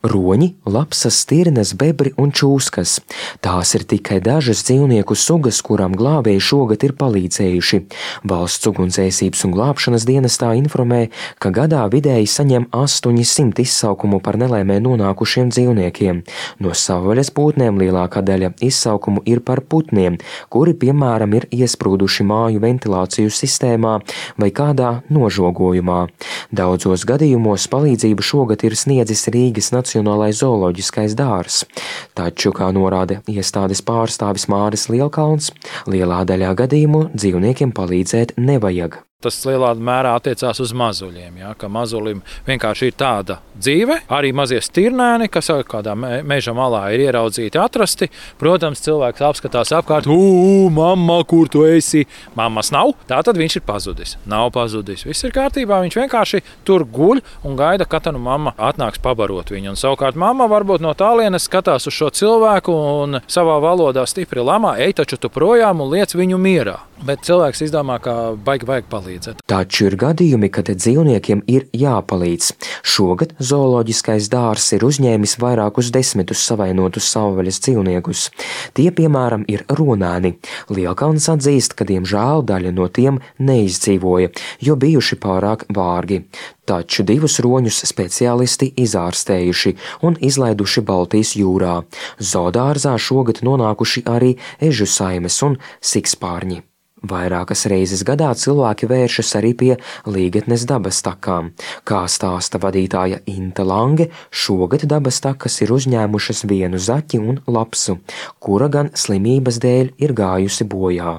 Roņi, lapsas, stirnas, bebri un čūskas. Tās ir tikai dažas dzīvnieku sugas, kurām glābēji šogad ir palīdzējuši. Valsts ugunsdzēsības un glābšanas dienestā informē, ka gadā vidēji saņem 800 izsaukumu par nelaimē nonākušiem dzīvniekiem. No savvaļas putnēm lielākā daļa izsaukumu ir par putniem, kuri, piemēram, ir iesprūduši māju ventilāciju sistēmā vai kādā nožogojumā. Daudzos gadījumos palīdzību šogad ir sniedzis Rīgas Nacionālais zooloģiskais dārzs. Taču, kā norāda iestādes pārstāvis Māris Lielkalns, lielā daļā gadījumu dzīvniekiem palīdzēt nevajag. Tas lielā mērā attiecās uz mazuļiem, ka mazulim vienkārši ir tāda dzīve. Arī mazie stirnēni, kas kādā meža malā ir ieraudzīti, atrasti. Protams, cilvēks apskatās apkārt, mamma, kur tu esi? Mammas nav, tātad viņš ir pazudis. Nav pazudis, viss ir kārtībā, viņš vienkārši tur guļ un gaida, kad nu mamma atnāks pabarot viņu. Un savukārt mamma varbūt no tālienes skatās uz šo cilvēku un savā valodā stipri lamā, ej taču tu projām un liec viņu mierā. Bet cilvēks izdomā, ka vajag palīdzēt. Taču ir gadījumi, kad dzīvniekiem ir jāpalīdz. Šogad zooloģiskais dārzs ir uzņēmis vairākus desmitus savainotus savvaļas dzīvniekus. Tie, piemēram, ir runāni. Lielkalns atzīst, ka diemžēl daļa no tiem neizdzīvoja, jo bijuši pārāk vārgi. Taču 2 roņus speciālisti izārstējuši un izlaiduši Baltijas jūrā. Zoodārzā šogad nonākuši arī ežu saimes un sikspārņi. Vairākas reizes gadā cilvēki vēršas arī pie Līgatnes dabas takām. Kā stāsta vadītāja Inte Lange, šogad dabas takas ir uzņēmušas vienu zaķi un lapsu, kura gan slimības dēļ ir gājusi bojā.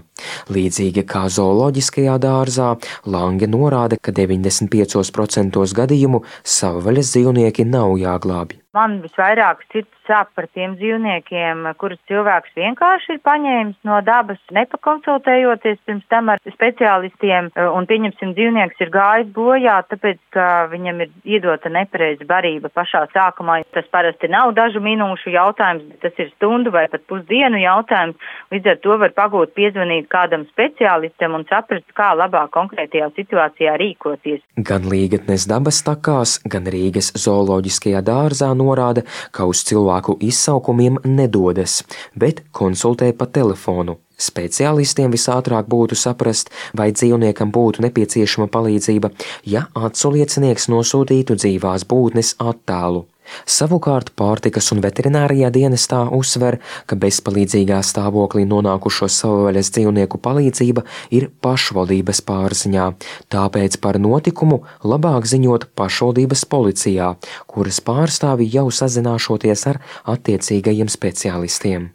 Līdzīgi kā zooloģiskajā dārzā, Lange norāda, ka 95% gadījumu savvaļas dzīvnieki nav jāglābj. Man visvairāk sirds sāp par tiem dzīvniekiem, kurus cilvēks vienkārši ir paņēmis no dabas, nepakonsultējoties pirms tam ar speciālistiem, un pieņemsim, dzīvnieks ir gājis bojā, tāpēc, ka viņam ir iedota nepareiza barība pašā sākumā. Tas parasti nav dažu minūšu jautājums, bet tas ir stundu vai pat pusdienu jautājums. Līdz ar to var pagūt piezvanīt kādam speciālistam un saprast, kā labāk konkrētajā situācijā rīkoties. Gan Līgatnes dabas takās, gan Rīgas zooloģiskajā dārzā norāda, ka uz cilvēku izsaukumiem nedodas, bet konsultē pa telefonu. Speciālistiem visātrāk būtu saprast, vai dzīvniekam būtu nepieciešama palīdzība, ja aculiecinieks nosūtītu dzīvās būtnes attēlu. Savukārt pārtikas un veterinārijā dienestā uzsver, ka bezpalīdzīgā stāvoklī nonākušo savvaļas dzīvnieku palīdzība ir pašvaldības pārziņā, tāpēc par notikumu labāk ziņot pašvaldības policijā, kuras pārstāvi jau sazināšoties ar attiecīgajiem speciālistiem.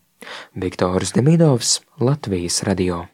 Viktors Demidovs, Latvijas radio.